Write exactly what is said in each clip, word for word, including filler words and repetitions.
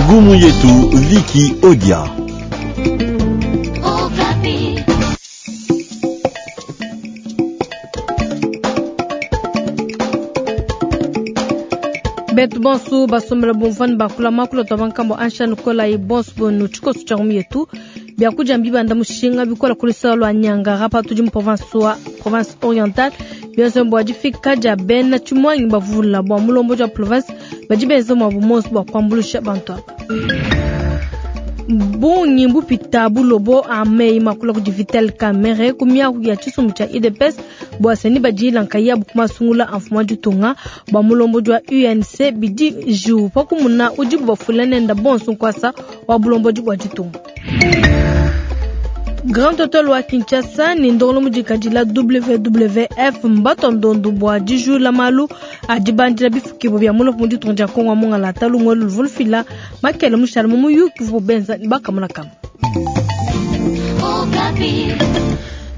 Ngumu yetu Vicky Odia. Betu bonsu basombela bomvani bakula makula twa bankambo ansha nukola ye bonsu bonu tshikoso tshia ngumu yetu byakudia mbibanda mushinga bikola kulisa lwa Niangara patudi mu province wa province orientale bionso bua difika dia bena tshimwangi bavula bua mulombo dia province badi benza mwa bumonso bua kuambulusha bantu aba. Bungi mbupita bulobo amei makula kudi Vital Kamerhe ku miaku ya tshisumbu tshia U D P S bua seni badila nkayabu kumasungula amfuma ditunga bua mulombo wa U N C bidi ju pakumuna udibu bafula nenda bonso nkwasa wa bulombo bua ditunga. Grand Hotel wa Kinshasa ni ndongolo mudikadila W W F mbato ndondu bua dijula malu adibandila bifukibo bya mulopo mu ditunga dia Kongo mongala talungwe luvulufila makele mushala mu muyuki vubenza bakamuna kama.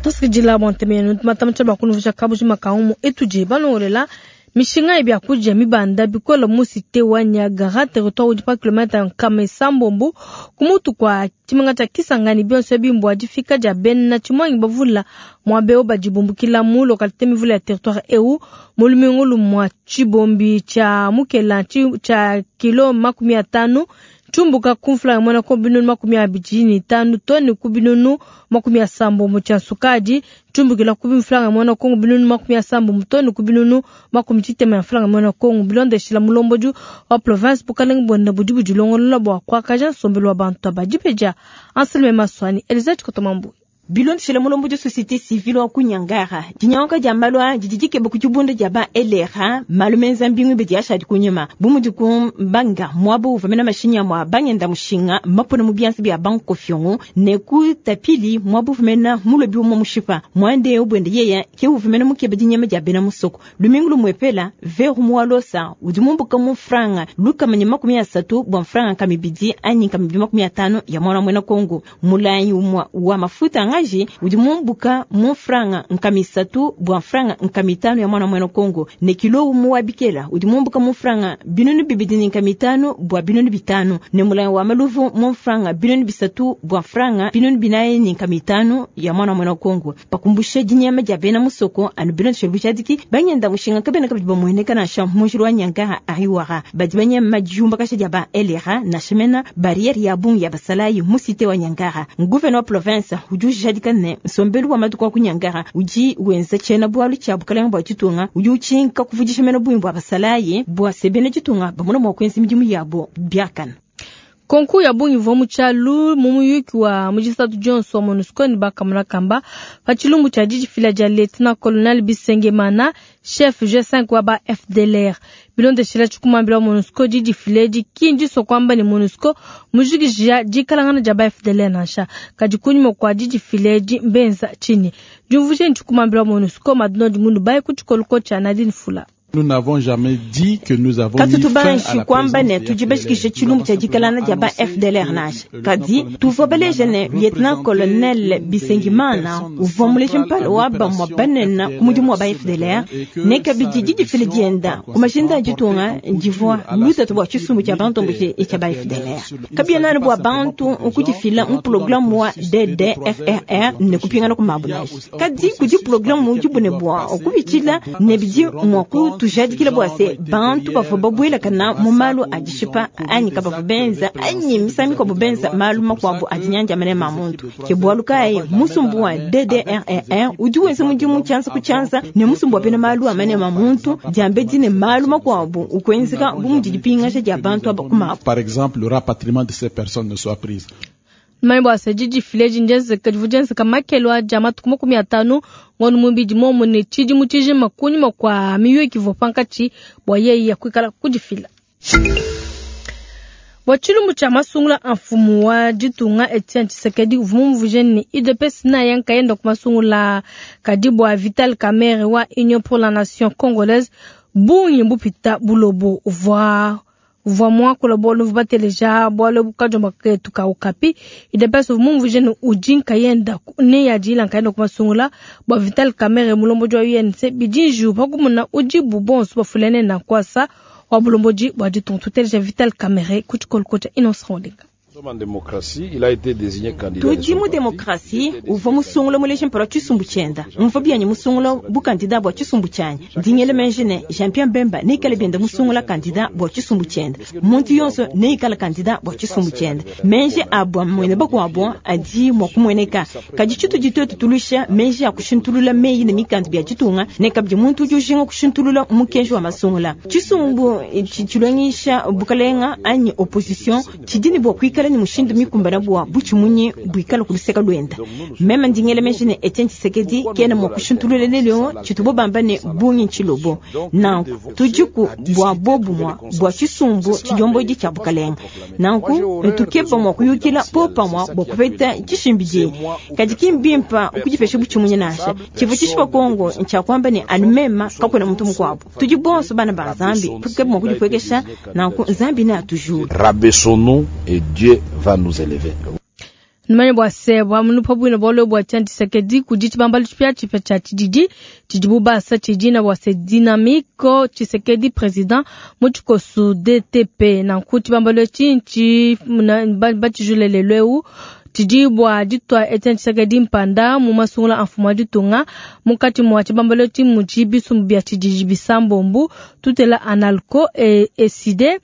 Tusikidila bontemenu matamcha bakunuvusha kabuji makaumu etuje balongolela mishinga ebya kuja mibanda bikola mu cité wa Niagara territoire udi pa kilomètre nkama sambombo kumutu kwa tshimenga tshia Kisangani bionso bimbwa difika dia bena tshimwangi bavula mwabeo badibumbukila mu localité mivula ya territoire eu mulumingu lumwa tshibombi tshia mukela tshia kilo makumi atano chumbuka kumfula mwana ko binunu makumi abidi ni tano toni ku binunu makumi asambo mu tshia sukadi chumbukila ku bimfulanga mwana kongo binunu makumi asambo mu toni ku binunu makumi tshitema ya mfulanga mwana kongo bilondeshila mulomboju wa province bukalenga bonda budi budilongolola bua kuakaja nsombelu wa bantu abadipeja Anselme Maswani Elizabeth Kotomambu. Bilondeshela mulombo de société civile wa kunyangara dinyanka dia malwa dididike bukujubunda dia ba L R A malumenza mbingu bedi ashadi kunyuma bumudi kumbanga mwabo uvamena mashinya mwa banyenda mushinga mapona mu biansi bya banko fyongo ne ku tapili mwabo uvamena mulobi mu mushipa mwande obwende yeya ke uvamena mukebe dinyama dia bena musoko lumingu lumwepela veru mwalosa udimumbuka mu franga luka manya makumi asatu bwa franga kamibidi anyi kamibidi makumi atano ya mwana mwena Kongo mulayi umwa wa mafuta ngaji udimumbuka mu franga nkamisatu bwa franga nkamitano ya mwana mwena Kongo ne kilo umuwa bikela udimumbuka mu franga binunu bibidi nkamitano bwa binunu bitano ne mulayi wa maluvu mu franga binunu bisatu bwa franga binunu binaye nkamitano ya mwana mwena Kongo pakumbusha dinyama dia bena musoko anu binunu shobujadiki banyenda mushinga kabena kabidi bamueneka na sha mujuru wa Nyangara ariwara badi banyama jumba kasha dia ba L R A na shemena barrière ya bungi ya basalayi musite wa Nyangara gouverneur province ujuja dikane sombelu wa matuko kunyangara uji wenza chena bwalu cha bukalenga bwa chitunga uji uchinka kuvujisha meno bwimbo abasalaye bwa sebene chitunga bamuna mwa kwenzi midimu yabo byakana. Konku ya bungi vwa muchalu mumuyuki wa mujisatu Johnson wa MONUSCO ni bakamuna kamba pachilumbu cha jiji fila ja Lieutenant Colonel Bisengemana chef G cinq wa ba F D L R bilondeshela chikumambila wa MONUSCO jiji fileji kinji so kwamba ni MONUSCO mujikijia jikalangana ja ba F D L R nansha kajikunyuma kwa jiji fileji mbenza chini jumvuje chikumambila wa MONUSCO madnoji mundu baye kuchikoluko cha Nadine Fula. Nous n'avons jamais dit que nous avons mis fin à la kwamba ne présence des tujibashikishe F D L R. chilumbu cha jikalana ja ba F D L R nasha kadi tuvobeleje ne Lieutenant Colonel Bisengimana uvomuleshe mpala wa ba mwabanena kumudimu wa ba F D L R ne kabidi jijifile dienda kumashinda jitunga jivwa lutatu bwa chisumbu cha bantu mbuje cha ba F D L R kabiana bwa bantu ukujifila mu programu wa D D F R R ne kupingana kumabulaje kadi kudi programu ujibune bwa okubichila ne bidi mwaku tujadikila bwa se bantu bavua babwela kana mu malu adishipa anyi kabavua benza anyi misami kwa bubenza malu makuabu adinyanja mene ma muntu ke bwalu kai musumbu wa D D R R R udi wenza mudimu chansa kuchansa ne musumbu wa pena malu amene ma muntu diambe dine malu makuabu ukwenzeka bumudi dipinga dia bantu aba kuma. Par exemple, le rapatriement de ces personnes ne soit prise. Mambo ya jiji fileji njenzeka jivujenzeka makelo a jama tukuma kumi atano ngonu mubidi momo ne chiji mutiji makunyi makwa miyuki vopankachi bwa yeyi ya kuikala kujifila. Bwa chilumbu cha masungula mfumu wa ditunga Etienne Tshisekedi uvumuvuje ni U D P S na yanka yenda kumasungula kadi bwa Vital Kamerhe wa Union pour la Nation Congolaise bungi mbupita bulobo uvwa uvwa mwakula bolo vubateleja bwalo bukajomba ketu ka ukapi U D P S uvumuvuje ni ujinka yenda ne ya jila nkayenda kumasungula bwa Vital Kamerhe mulombo jwa U N C bijinju pakumuna ujibu bonso bafulene na kwasa wa bulombodi bua ditunga. Tuteleja Vital Kamerhe ku tshikoloko tshia Innocent Olenga. Tudi mu demokrasi uvua musungula muleji mpala tshisumbu tshienda mvua bianyi musungula bu kandida bua tshisumbu tshianyi ndingele menje ne Jean-Pierre Bemba neikale bienda musungula kandida bua tshisumbu tshienda muntu yonso neikale kandida bua tshisumbu tshienda menje abua mwene bakuabo adi mua kumueneka kadi tshitudi tuetu tulusha menje a kushintulula meyi ne mikanda bia ditunga ne kabidi muntu udi ujinga kushintulula mukenji wa masungula tshisumbu tshilongisha bukalenga anyi opposition tshidi ne bua kuikala ni mushindu mikumbana bua butshimunyi buikala kuluseka lwenda meme ndingele menje ne Etienne Tshisekedi kena mua kushintulula lelo tshitubo bamba ne bungi ntshilobo nanku tudiku bua bobumwa bua tshisumbu tshidiomboidi tshia bukalenga nanku tukeba mua kuyukila popamwa bua kupeta tshishimbidi kadi kimbimpa kudipesha butshimunyi nansha tshivu tshishipa Kongo ntshia kuamba ne anu mema kakwena muntu mukuabu tudi bonso bana ba Nzambi tukeba mua kudipwekesha nanku Nzambi ne atujula. Rabaissons-nous et Dieu va nous élever. Numanye bua se bua munupa bwino bwalo bua Etienne Tshisekedi kudi tshibambalu tshipia tshipia tshia tshididi tshidibu basa tshidina bua se Dynamique Tshisekedi président mu tshikosu D T P nanku tshibambalu etshi ntshi batshijulele lweu tshidi bua ditwa Etienne Tshisekedi mpanda mu masungula a mfumu wa ditunga munkatshi mua tshibambalu etshi mudi bisumbu bia tshididi bisambombu tutela Analco e Eside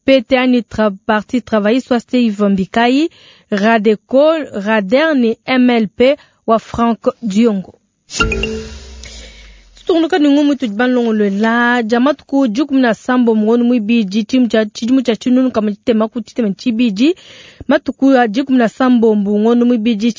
P T A ni tra, Parti Travailliste soit Steve Mbikai, Radeco, Rader ni M L P wa Frank Diongo. Tutungunuka ni ngumu tujibanlongolo la jamatuku dikumi na sambo mungonu mwibidi timu cha chidimu cha chinunu kama chitema ku chitema chibidi matuku ya dikumi na sambo mbungono mwibidi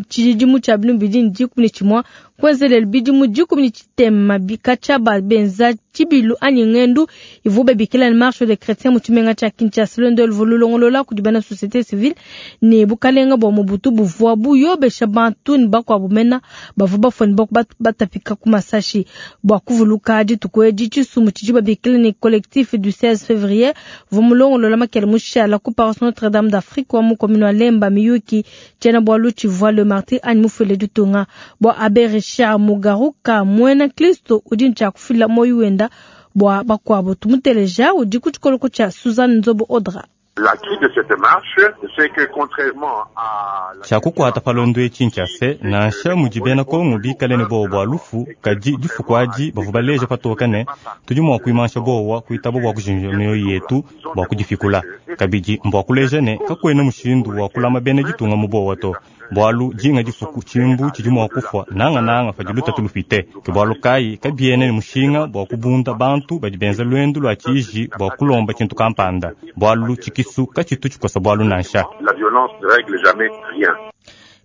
chidimu cha binumbidi dikumi ni chimwa kwenzelele bidimu dikumi ni chitema bikacha ba benza chibilu anyi ngendu ivube bikila ni marche des chrétiens mu tshimenga tsha Kinshasa lwendo luvululongolola kudibana société civile ni bukalenga bwa Mobutu buvua buyobesha bantu ni bakwabu mena bavu bafoni baku batapika ku masashi bua kuvuluka dituku edi tshisumbu tshidi babikila ni collectif du seize février vumulongolola makele mushala ku paroisse Notre-Dame d'Afrique wa mu commune wa Lemba Miyuki tshiena bualu tshivua le martyr anyi mufule ditunga bua Abbé Richard Mugaruka mwena Kristo udi ntshia kufila moyo wenda bua bakuabo tumuteleja udi ku tshikoloko tshia Suzanne Nzobo Audra. L'acquis de cette marche, c'est que contrairement à Tshiakukwata palondo etshi ntshia nansha mudi bena Kongo bikale ne bowa bua lufu kadi difuku adi bavua baleja patoka ne tudi mua kuimansha bowa kuitaba bua kujinja mioyo yetu bua kudifikula kabidi mbua kuleja ne kakuena mushindu wa kulama bena ditunga mu bowa to bualu dinga difuku tshimbu tshidi mua kufua nangananga padi lutatu lupite ke bualu kayi kabiene ne mushinga bua kubunda bantu badi benza lwendu lua tshiji bua kulomba tshintu kampanda bualu tshikisu katshitu tshikosa bualu nansha. La violence ne règle jamais rien.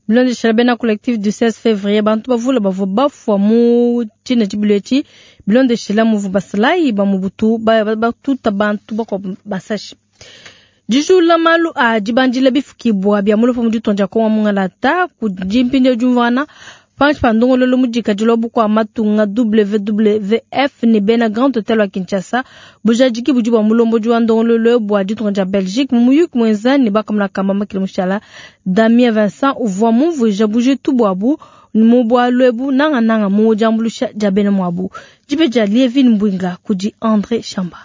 Bilondeshela bena collectif du seize février bantu bavula bavua bafua mu tshina tshibilu etshi bilondeshela muvu basalayi ba Mobutu batuta bantu bakuabu basashi. Dijula malu a dibandila bifukibwa bia mulupa mu ditonja Kongo mungalata kudi mpindieu diumvuana panshi pa ndongololo mudikadilo bukua matunga W W F ne bena Grand Hotel wa Kinshasa bujadiki budi bua mulombodi wa ndongololo bua ditunga dia Belgique mu muyuki muenza ne bakamuna kamba makile mushala Damien Vincent uvua mumvuija bujitu buabu mu bualu ebu nangananga mu diambulusha dia bena muabu dibe dia Lievin Mbwinga kudi André Chamba.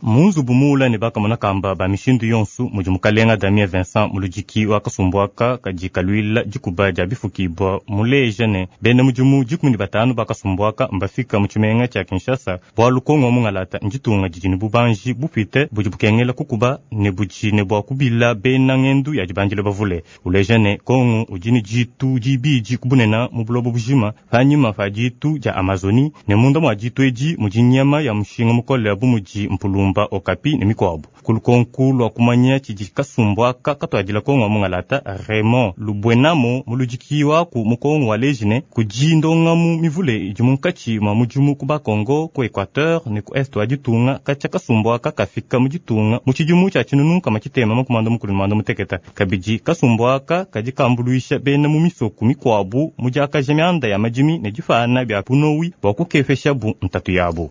Munzubu mula ne bakamona kamba ba mishindu yonsu mudi mukalenga Damien Vincent muludiki wa kasumbuaka kadi kaluila dikuba dia bifukibwa muleja ne bena mudimu dikumi ne batanu bakasumbuaka mbafika mu tshimenga tshia Kinshasa bualu Kongo mungalata nditunga didi ne bubanji bupite budi bukengela kukuba ne budi ne bua kubila bena ngendu ya dibandile bavule uleja ne Kongo udi ne ditu dibidi kubunena mu buloba bujima panyima pa ditu dia Amazoni ne munda mua ditu edi mudi nyama ya mushinga mukole bu mudi mpulumba okapi ne mikwabu kulukonku lwa kumanya tshidi kasumbuaka katuadila Kongo mungalata Raymond Lubwenamo muludiki waku mu Kongo wa lejine kudi ndongamu mivule idi munkatshi mwa mudimu ku bakongo ku Equateur ne ku Est wa ditunga katshia kasumbuaka kafika mu ditunga mu tshidimu tshia tshinunu kama tshitema makumanda mukulu manda muteketa kabidi kasumbuaka kadi kambuluisha bena mu misoku mikwabu mu diakaja mianda ya madimi ne difana bia punowi bua kukepesha bu ntatu yabu.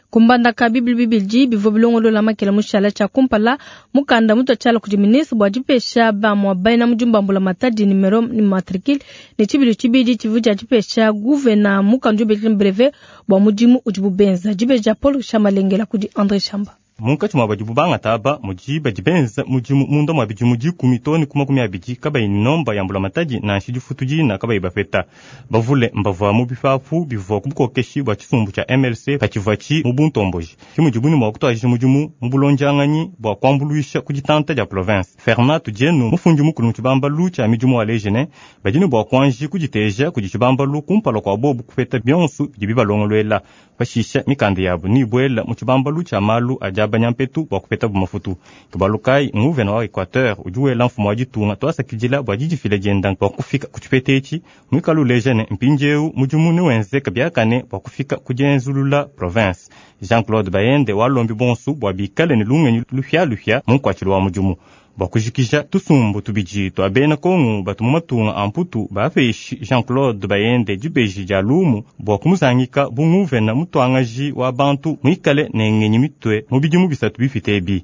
Kumbandaka bibili bibidi bivua bilongolola makela mushala tshia kumpala mukanda mutu tshiala kudi ministre bua dipesha bamua bena mudimu ba mbulamatadi nimero ni matricule ne tshibili tshibidi tshivua tshia dipesha guvena mukanda ubikila brevet bua mudimu udibu benza dibeja Paul Chamalengela kudi André Chamba. Munkatshi mua badibu bangata aba mudi badi benza mudimu munda mua bidimu dikumi too ne ku makumi abidi kabayi nomba ya mbulamatadi nansha difutu dina kabayi bapeta. Bavule mbavua mu bipapu bivua ku bukokeshi bua tshisumbu tshia M L C patshivua tshi mu buntomboji. Ke mudibu ne mua kutuadija mudimu mu bulondianganyi bua kuambuluisha ku ditanta dia province. Fernand Tudienu, mufundi mukulu mu tshibambalu tshia midimu wa lejene, badi ne bua kuanji kuditeja kudi tshibambalu kumpala kua bobu kupeta bionso bidi bibalongoluela. Pashisha mikanda yabu nibwela mu tshibambalu tshia malu a diabanyampetu bua kupeta bumafutu. Kibalukai nguvena wa Equateur udi wela mfumu wa ditunga twasakidila bua didifila dienda bua kufika ku tshipeta etshi mwikala lejene mpindieu mudimu niwenzeka biakane bua kufika ku dienzulula province. Jean-Claude Bayende walombi bonsu bua bikale ne lungenyi lupia-lupia mu nkuatshilu wa mudimu. Bua kujikija tusumbu tubidi twa bena Kongo batu mu matunga a mputu bapeshi Jean-Claude Bayende dibeji dia lumu bua kumuzangika bu nguvena mutuangaji wa bantu mwikale ne ngenyi mitwe mu bidimu bisatu bipite ebi.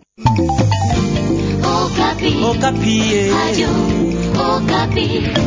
Okapi. Okapi. Radio Okapi.